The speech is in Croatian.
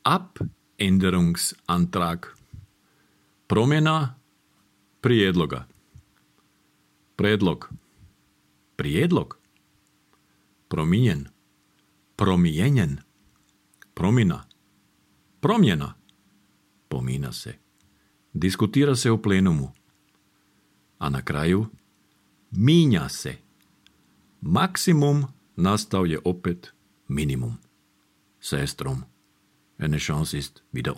Abänderungsantrag. Promjena prijedloga. Predlog. Prijedlog. Promijenjen. Promijenjen. Promjena. Promjena. Pomina se. Diskutira se u plenumu. A na kraju minja se. Maksimum nastao je opet minimum. Sestrom. Eine Chance ist wieder